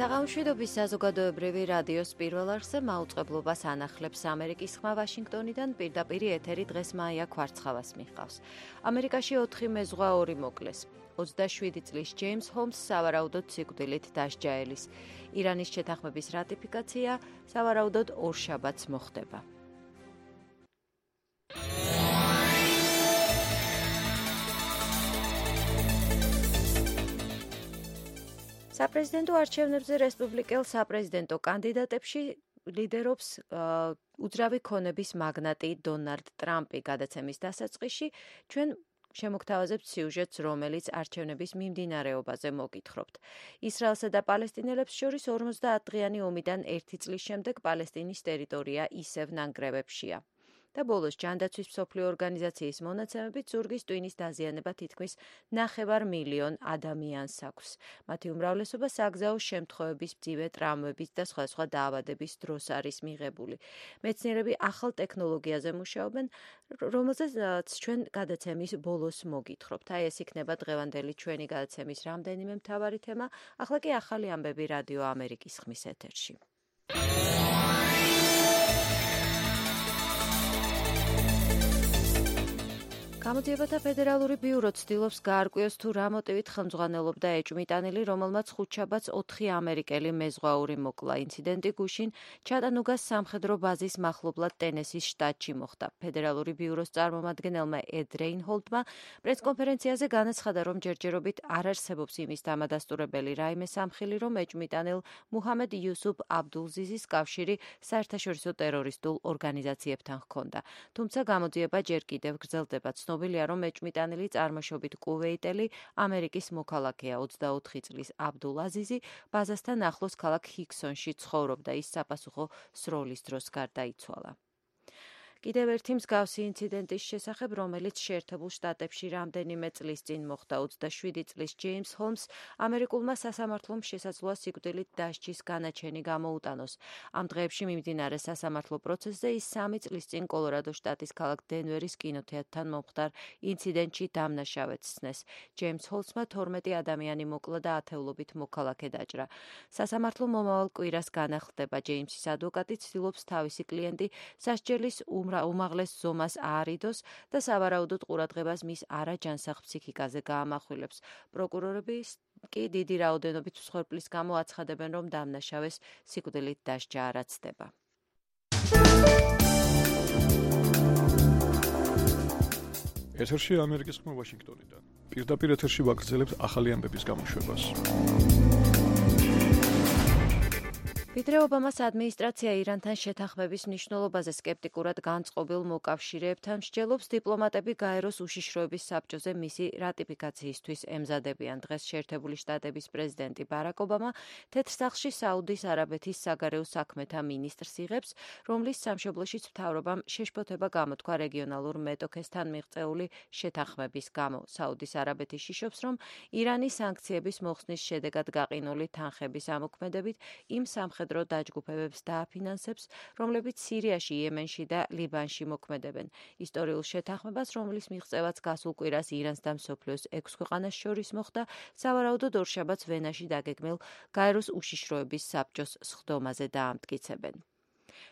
საღამოშვიდობის საზოგადოებრივი რადიოს პირველ არხზე მაუწყებლობას ანახლებს ამერიკის ხმა ვაშინგტონიდან პირდაპირ ეთერი დღეს მაია ქვარცხავას მიჰყავს. ამერიკაში 4 მეზღვა 2 მოკლეს. 27 წლის ჯეიმს ჰოლმს სავარაუდოდ სიკვდილით დასჯაელის. ირანის შეთანხმების რატიფიკაცია სავარაუდოდ ორშაბათს მოხდება. საპრეზიდენტო არჩევნებზე რესპუბლიკელ საპრეზიდენტო კანდიდატებში ლიდერობს უძრავი ქონების მაგნატი დონალდ ტრამპი. გადაცემის დასაწყისში ჩვენ შემოგთავაზებთ სიუჟეტს, რომელიც არჩევნების მიმდინარეობაზე მოგითხრობთ. ისრაელსა და პალესტინელებს შორის 50-დღიანი ომიდან 1 წლის შემდეგ პალესტინის ტერიტორია ისევ ნანგრევებშია. და ბოლოს ჯანდაცვის მსოფლიო ორგანიზაციის მონაცემებით ზურგის ტვინის დაზიანება თითქმის 9,5 ადამიანს აქვს. მათი უმრავლესობა საგზაო შემთხვევების, მძიმე ტრავმების და სხვადასხვა დაავადების დროს არის მიღებული. მეცნიერები ახალ ტექნოლოგიაზე მუშაობენ, რომელზეც ჩვენ გადაცემის ბოლოს მოგითხრობთ. აი ეს იქნება დღევანდელი ჩვენი გადაცემის რამდენიმე მთავარი თემა. ახლა კი ახალი ამბები რადიო ამერიკის ხმის ეთერში. გამოძიებათა ფედერალური ბიურო ცდილობს გაარკვიოს თუ რა მოტივით ხელმძღვანელობდა ეჭვმიტანილი, რომელმაც ხუთშაბათს 4 ამერიკელი მეზღვაური მოკლა. ინციდენტი გუშინ ჩატანუგას სამხედრო ბაზის მახლობლად ტენესის შტატში მოხდა. ფედერალური ბიუროს წარმომადგენელმა ედ რეინჰოლდმა პრესკონფერენციაზე განაცხადა, რომ ჯერჯერობით არ არსებობს იმის დამადასტურებელი რაიმე სამხილი, რომ ეჭვმიტანილ მუჰამედ იუსუფ აბდულზიზის კავშირი საერთაშორისო ტერორისტულ ორგანიზაციებთან ჰქონდა. თუმცა გამოძიება ჯერ კიდევ გრძელდება. ცნობილია, რომ ეჭვმიტანილი წარმოშობით კუვეიტელი ამერიკის მოქალაქეა. 24 წლის აბდულ აზიზი ბაზასთან ახლოს ქალაქ ჰიქსონში ცხოვრობდა. ის საპასუხო სროლის დროს გარდაიცვალა. კიდევ ერთი მსგავსი ინციდენტის შესახებ, რომელიც შეერთებულ შტატებში რამდენიმე წლის წინ მოხდა. 27 წლის ჯეიმს ჰოლმს ამერიკულმა სასამართლომ შესაძლოა სიკვდილით დასჯის განაჩენი გამოუტანოს. ამ დღეებში მიმდინარე სასამართლო პროცესზე ის 3 წლის წინ კოლორადო შტატის ქალაქ დენვერის კინოთეატრთან მომხდარ ინციდენტში დამნაშავედ სცნეს. ჯეიმს ჰოლმსმა 12 ადამიანი მოკლა და ათეულობით მოქალაქე დაჭრა. სასამართლო მომავალ კვირას განახლდება. ჯეიმსის ადვოკატი ცდილობს თავისი კლიენტი სასჯელის უმაღლეს ზომას აარიდოს და სავარაუდოდ ყურადღებას მის არაჯანსაღ ფსიქიკაზე გაამახვილებს. პროკურორები კი დიდი რაოდენობით მსხვერპლის გამო აცხადებენ, რომ დამნაშავეს სიკვდილით დასჯა არ აცდება. ეთერში ამერიკის ხმა ვაშინგტონიდან. პირდაპირ ეთერში ვაგრძელებთ ახალი ამბების გამოშვებას. ვიდრე ობამას ადმინისტრაცია ირანთან შეთანხმების მნიშვნელობაზე სკეპტიკურად განწყობილ მოკავშირეებთან მსჯელობს, დიპლომატები გაეროს უშიშროების საბჭოზე მისი რატიფიკაციისთვის ემზადებიან. დღეს შეერთებული შტატების პრეზიდენტი ბარაკ ობამა თეთრ სახლში საუდის არაბეთის საგარეო საქმეთა მინისტრს იღებს, რომლის სამშობლოშიც მთავრობამ შეშფოთება გამოთქვა რეგიონალურ მეტოქესთან მიღწეული შეთანხმების გამო. საუდის არაბეთი შიშობს, რომ ირანის სანქციების მოხსნის შედეგად გაყინული თანხების ამოქმედებით იმ სამხედრო დაჯგუფებებს დააფინანსებს, რომლებიც სირიაში, იემენში და ლიბანში მოქმედებენ. ისტორიულ შეთანხმებას, რომლის მიღწევაც გასულ კვირას ირანს და მსოფლიოს 6 ქვეყანას შორის მოხდა, სავარაუდოდ ორშაბათს ვენაში დაგეგმილ გაეროს უშიშროების საბჭოს სხდომაზე დაამტკიცებენ.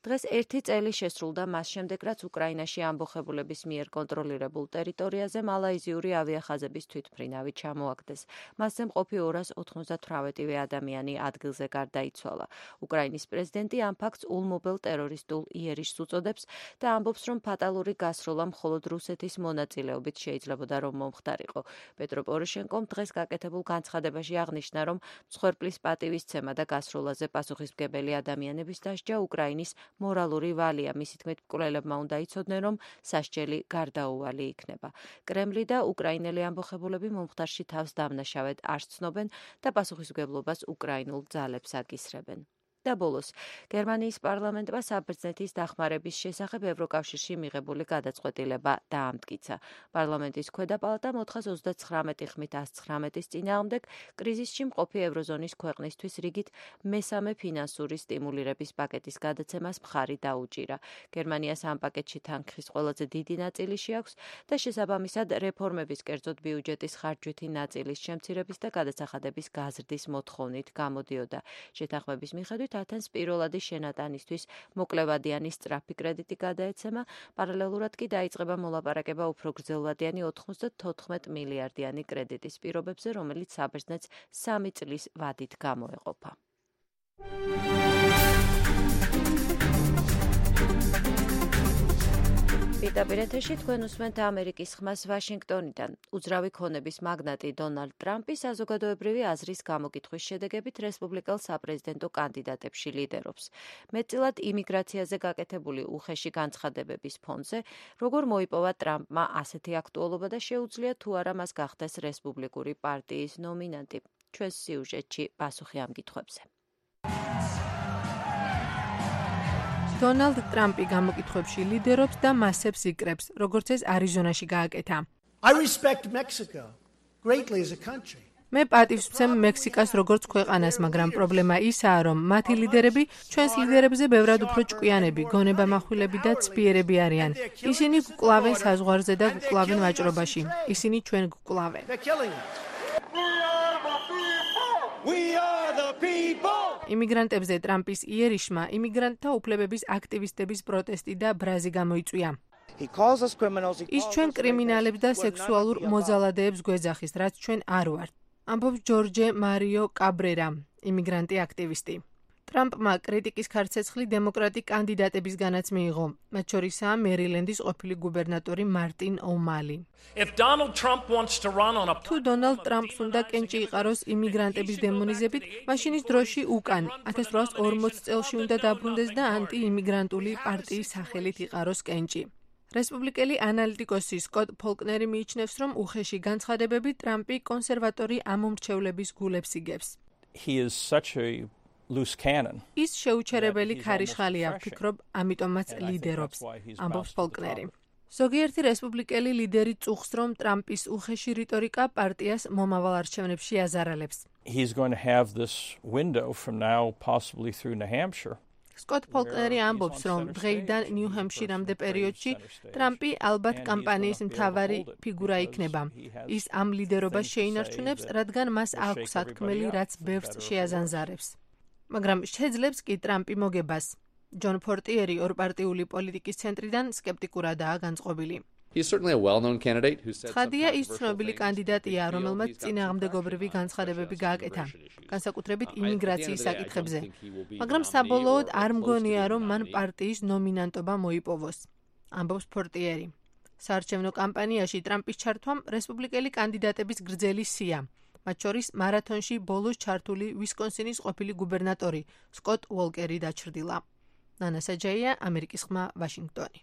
დღეს 1 წელი შესრულდა მას შემდეგ, რაც უკრაინაში ამბოხებულების მიერ კონტროლირებულ ტერიტორიაზე მალაიზიური ავიახაზების თვითმფრინავი ჩამოაგდეს. მასზე მყოფი 298 ადამიანი ადგილზე გარდაიცვალა. უკრაინის პრეზიდენტი ამ ფაქტს ულმობელ ტერორისტულ იერიშს უწოდებს და ამბობს, რომ ფატალური გასროლა მხოლოდ რუსეთის მონაწილეობით შეიძლებოდა რომ მომხდარიყო. პეტრო პოროშენკომ დღეს გაკეთებულ განცხადებაში აღნიშნა, რომ მსხვერპლის პატივისცემა და გასროლაზე პასუხისმგებელი ადამიანების დასჯა უკრაინის მორალური ვალია. მისი თქმით, მკვლელებმა უნდა იცოდნენ, რომ სასჯელი გარდაუვალი იქნება. კრემლი და უკრაინელი ამბოხებულები მომხდარში თავს დამნაშავედ არ ცნობენ და პასუხისმგებლობას უკრაინულ ძალებს აკისრებენ. და ბოლოს გერმანიის პარლამენტმა საბერძნეთის დახმარების შესახებ ევროკავშირში მიღებული გადაწყვეტილება დაამტკიცა. პარლამენტის ქვედა პალატა მოთხას 39 ხმით 119-ის წინააღმდეგ კრიზისში მყოფი ევროზონის ქვეყნისთვის რიგით მესამე ფინანსური სტიმულირების პაკეტის გადაცემას მხარი დაუჭირა. გერმანიას ამ პაკეტში თანხის ყველაზე დიდი ნაწილი შეაქვს და შესაბამისად რეფორმების კერძოდ ბიუჯეტის ხარჯვითი ნაწილის შემცირების და გადასახადების გაზრდის მოთხოვნით გამოდიოდა. შეთანხმების მიხედვით ათენს პირველადი შენატანისთვის მოკლევადიანი სწრაფი კრედიტი გადაეცემა, პარალელურად კი დაიწყება მოლაპარაკება უფრო გრძელვადიანი 94 მილიარდიანი კრედიტის პირობებზე, რომელიც საბერძნეთს 3 წლის ვადით გამოეყოფა. პირდაპირ ეთერში თქვენ უსმენთ ამერიკის ხმას ვაშინგტონიდან. უძრავი ქონების მაგნატი დონალდ ტრამპი საზოგადოებრივი აზრის გამოკითხვის შედეგებით რესპუბლიკელ საპრეზიდენტო კანდიდატებში ლიდერობს. მეტწილად იმიგრაციაზე გაკეთებული უხეში განცხადებების ფონზე, როგორ მოიპოვა ტრამპმა ასეთი აქტუალობა და შეუძლია თუ არა მას გახდეს რესპუბლიკური პარტიის ნომინანტი. ჩვენს სიუჟეტში პასუხი ამ კითხვებზე. დონალდ ტრამპი გამოკითხვებში ლიდერობს და მასებს იკრებს, როგორც ეს არიზონაში გააკეთა. მე პატივს ვცემ მექსიკას როგორც ქვეყანას, მაგრამ პრობლემა ისაა, რომ მათი ლიდერები ჩვენს ლიდერებზე ბევრად უფრო ჭკვიანები, გონებამახვილები და ცბიერები არიან. ისინი გკლავენ საზღვარზე და გკლავენ ვაჭრობაში. ისინი ჩვენ გკლავენ. იმიგრანტებზე ტრამპის იერიშმა იმიგრანტთა უფლებების აქტივისტების პროტესტი და ბრაზი გამოიწვია. ის ჩვენ კრიმინალებს და სექსუალურ მოძალადეებს გვეძახის, რაც ჩვენ არ ვართ. ამბობს ჯორჯე მარიო კაბრერა, იმიგრანტი აქტივისტი. ტრამპმა კრიტიკის ქარცეცხლი დემოკრატი კანდიდატებისგანაც მიიღო, მათ შორისაა მერილენდის ყოფილი გუბერნატორი მარტინ ომალი. თუ დონალდ ტრამპს უნდა კენჭი იყაროს იმიგრანტების დემონიზებით, მაშინ ის დროში უკან 1840 წელში უნდა დაბრუნდეს და ანტიიმიგრანტული პარტიის სახელით იყაროს კენჭი. რესპუბლიკელი ანალიტიკოსი სკოტ ფოლკნერი მიიჩნევს, რომ უხეში განცხადებები ტრამპი კონსერვატორი ამომრჩევლების გულებს იგებს. ის შეუჩერებელი ქარიშხალია, ვფიქრობ, ამიტომაც ლიდერობს, ამბობს ფოლკნერი. ზოგიერთი რესპუბლიკელი ლიდერი წუხს, რომ ტრამპის უხეში რიტორიკა პარტიას მომავალ არჩევნებში აზარალებს. სკოტ ფოლკნერი ამბობს, რომ დღეიდან ნიუ-ჰემპშირამდე პერიოდში ტრამპი ალბათ კამპანიის მთავარი ფიგურა იქნება. ის ამ ლიდერობას შეინარჩუნებს, რადგან მას აქვს სათქმელი, რაც ბევრს შეაზანზარებს. მაგრამ შეძლებს კი ტრამპი მოგებას. ჯონ ფორტიერი ორპარტიული პოლიტიკის ცენტრიდან სკეპტიკურადაა განწყობილი. ცხადია, ის ცნობილი კანდიდატია, რომელმაც წინააღმდეგობრივი განცხადებები გააკეთა, განსაკუთრებით იმიგრაციის საკითხებზე. მაგრამ საბოლოოდ არ მგონია, რომ მან პარტიის ნომინანტობა მოიპოვოს, ამბობს ფორტიერი. საარჩევნო კამპანიაში ტრამპის ჩართვამ რესპუბლიკელი კანდიდატების გრძელი სია. მათ შორის მარათონში ბოლოს ჩართული ვისკონსინის ყოფილი გუბერნატორი სკოტ უოლკერი დაჩრდილა. ნანა საჯაია, ამერიკის ხმა, ვაშინგტონი.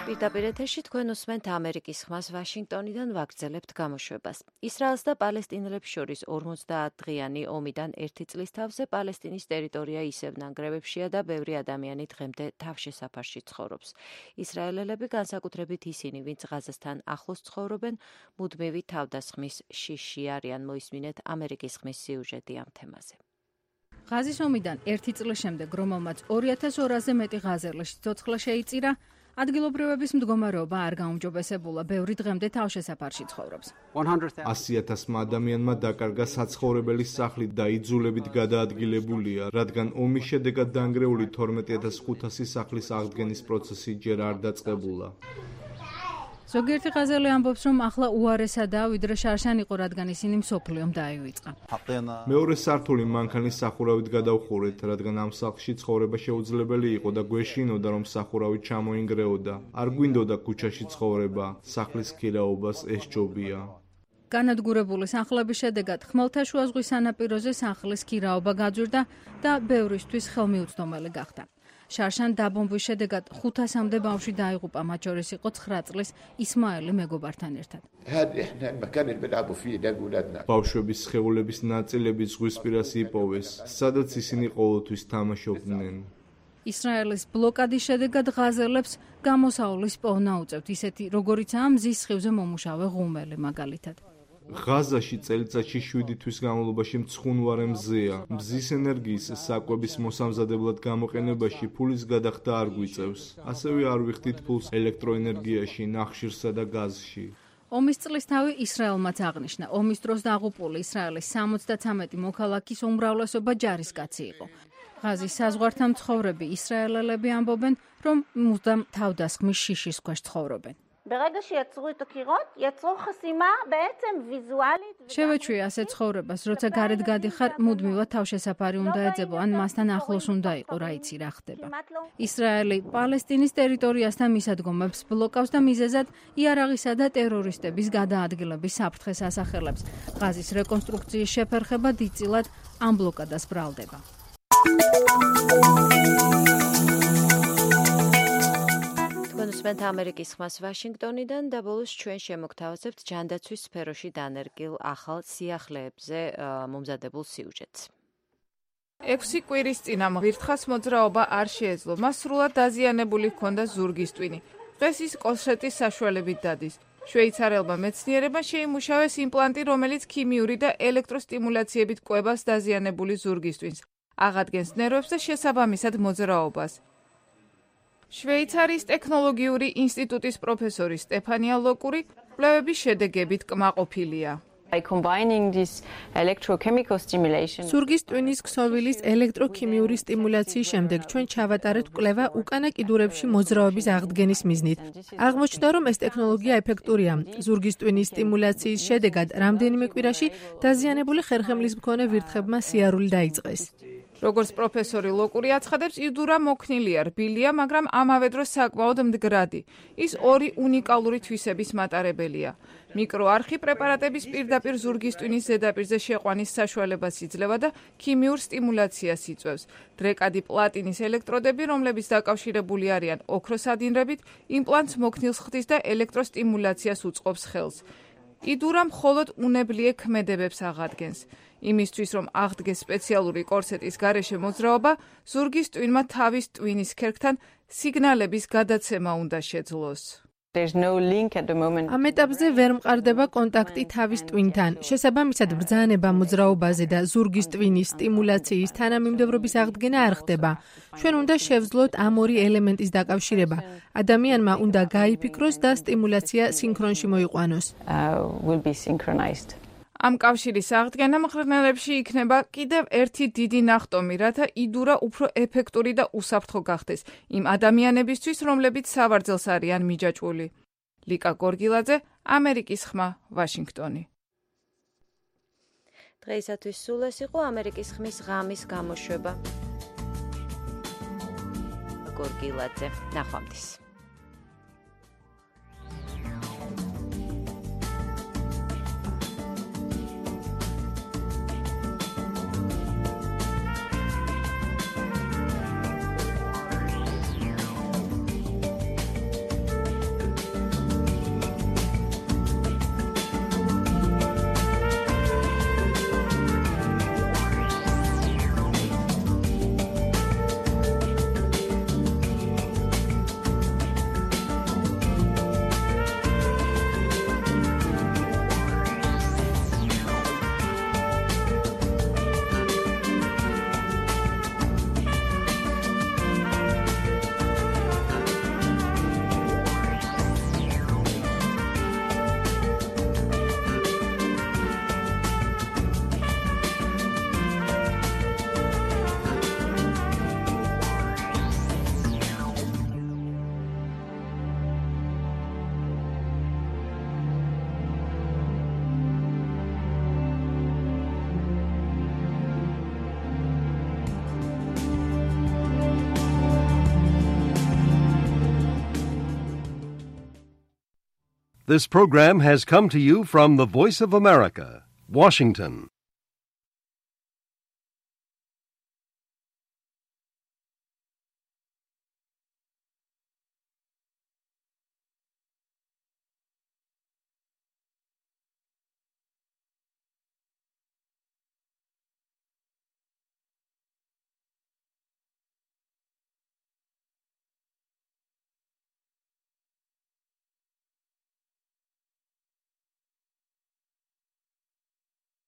პირდაპირ ეთერში თქვენ უსმენთ ამერიკის ხმას ვაშინგტონიდან ვაგრძელებთ გამოშვებას. ისრაელს და პალესტინელებს შორის 50-დღიანი ომიდან 1 წლის თავზე პალესტინის ტერიტორია ისევ ნანგრევებშია და ბევრი ადამიანი დღემდე თავშესაფარში ცხოვრობს. ისრაელელები, განსაკუთრებით ისინი, ვინც ღაზასთან ახლოს ცხოვრობენ, მუდმივი თავდასხმის შიშში არიან. მოისმინეთ ამერიკის ხმის სიუჟეტი ამ თემაზე. ღაზის ომიდან 1 წლის შემდეგ, რომელმაც 2200-ზე მეტი ღაზერლის სიცოცხლე შეიწირა, ადგილობრივების მდგომარეობა არ გაუმჯობესებულა, ბევრი დღემდე თავშესაფარში ცხოვრობს. 100,000 ადამიანმა დაკარგა საცხოვრებელი სახლი და იძულებით გადაადგილებულია, რადგან ომის შედეგად დანგრეული 12,500 სახლის აღდგენის პროცესი ჯერ არ დაწყებულა. ზოგიერთი ღაზელი ამბობს, რომ ახლა უარესადაა, ვიდრე შარშან იყო, რადგან ისინი მსოფლიომ დაივიწყა. მეორე სართული მანქანის სახურავით გადავხურეთ, რადგან ამ სახლში ცხოვრება შეუძლებელი იყო და გვეშინოდა, რომ სახურავი ჩამოინგრეოდა. არ გვინდოდა ქუჩაში ცხოვრება, სახლის ქირაობას ეს ჯობია. განადგურებული სახლების შედეგად ხმელთაშუა ზღვის სანაპიროზე სახლის ქირაობა გაძვირდა და ბევრისთვის ხელმიუწვდომელი გახდა. შარშან დაბომბვის შედეგად 500-მდე ბავშვი დაიღუპა, მათ შორის იყო 9 წლის ისმაელი მეგობართან ერთად. ბავშვების სხეულების ნაწილები ზღვისპირას იპოვეს, სადაც ისინი ყოველთვის თამაშობდნენ. ისრაელის ბლოკადის შედეგად ღაზელებს გამოსავლის პოვნა უწევთ, ისეთი როგორიცაა მზის სხივზე მომუშავე ღუმელი მაგალითად. ღაზაში წელიწადში 7 თვის განმავლობაში მცხუნვარე მზეა. მზის ენერგიის საკვების მოსამზადებლად გამოყენებაში ფულის გადახდა არ გვიწევს. ასევე არ ვიხდით ფულს ელექტროენერგიაში, ნახშირსა და გაზში. ომის წლისთავი ისრაელმაც აღნიშნა. ომის დროს დაღუპული ისრაელის 73 მოქალაქის უმრავლესობა ჯარისკაცი იყო. ღაზის საზღვართან მცხოვრები ისრაელელები ამბობენ, რომ მუდამ თავდასხმის შიშის ქვეშ ცხოვრობენ. შევეჩვი ასე ცხოვრებას, როცა გარეთ გადიხარ, მუდმივად თავშესაფარი უნდა ეძებო, ან მასთან ახლოს უნდა იყო, რა იცი რა ხდება. ისრაელი პალესტინის ტერიტორიასთან მისადგომებს ბლოკავს და მიზეზად იარაღისა და ტერორისტების გადაადგილების საფრთხეს ასახელებს. ღაზის რეკონსტრუქციის შეფერხება დიდწილად ამ ბლოკადას ბრალდება. თქვენ ამერიკის ხმას ვაშინგტონიდან და ბოლოს ჩვენ შემოგთავაზებთ ჯანდაცვის სფეროში დანერგილ ახალ სიახლეებზე მომზადებულ სიუჟეტს. 6 კვირის წინ ამ ვირთხას მოძრაობა არ შეეძლო. მას სრულად დაზიანებული ჰქონდა ზურგის ტვინი. დღეს ის კოლშეტის საშუალებით დადის. შვეიცარელმა მეცნიერებმა შეიმუშავეს იმპლანტი, რომელიც ქიმიური და ელექტროსტიმულაციებით კვებას დაზიანებული ზურგის ტვინს. აღადგენს ნერვებს და შესაბამისად მოძრაობას. შვეიცარიის ტექნოლოგიური ინსტიტუტის პროფესორი სტეფანია ლოკური კვლევების შედეგებით კმაყოფილია. ზურგის ტვინის ქსოვილის ელექტროქიმიური სტიმულაციის შემდეგ ჩვენ ჩავატარეთ კვლევა უკანა კიდურებში მოძრაობის აღდგენის მიზნით. აღმოჩნდა, რომ ეს ტექნოლოგია ეფექტურია. ზურგის ტვინის სტიმულაციის შედეგად რამდენიმე კვირაში დაზიანებული ხერხემლის მქონე ვირთხებმა სიარული დაიწყეს. როგორც პროფესორი ლოკური აცხადებს, იდურა მოქნილია, რბილია, მაგრამ ამავე დროს საკმაოდ მდგრადი. ის 2 უნიკალური თვისების მატარებელია. მიკროარხი პრეპარატების პირდაპირ ზურგის ტვინის ზედაპირზე შეყვანის საშუალებას იძლევა და ქიმიურ სტიმულაციას იწვევს. დრეკადი პლატინის ელექტროდები, რომლებიც დაკავშირებული არიან ოქროს ადინრებით, იმპლანტს მოქნილს ხდის და ელექტროსტიმულაციას უწყობს ხელს. იდურა მხოლოდ უნებლიე ქმედებებს აღადგენს. იმისთვის, რომ აღდგეს სპეციალური კორსეტის გარეშე მოძრაობა, ზურგის ტვინმა თავის ტვინის ქერქთან სიგნალების გადაცემა უნდა შეძლოს. ამ ეტაპზე ვერ მყარდება კონტაქტი თავის ტვინთან. შესაბამისად, ბრძანება მოძრაობაზე და ზურგის ტვინის სტიმულაციის თანამიმდევრობის აღდგენა არ ხდება. ჩვენ უნდა შევძლოთ ამ 2 ელემენტის დაკავშირება. ადამიანმა უნდა გაიფიქროს და სტიმულაცია სინქრონში მოიყვანოს. ამ კავშირის აღდგენა მღრღნელებში იქნება კიდევ ერთი დიდი ნახტომი, რათა იდურა უფრო ეფექტური და უსაფრთხო გახდეს იმ ადამიანებისთვის, რომლებიც სავარძელს არიან მიჯაჭვული. ლიკა გორგილაძე, ამერიკის ხმა, ვაშინგტონი. დღეისათვის სულ ეს იყო ამერიკის ხმის ღამის გამოშვება. გორგილაძე, ნახვამდის. This program has come to you from the Voice of America, Washington.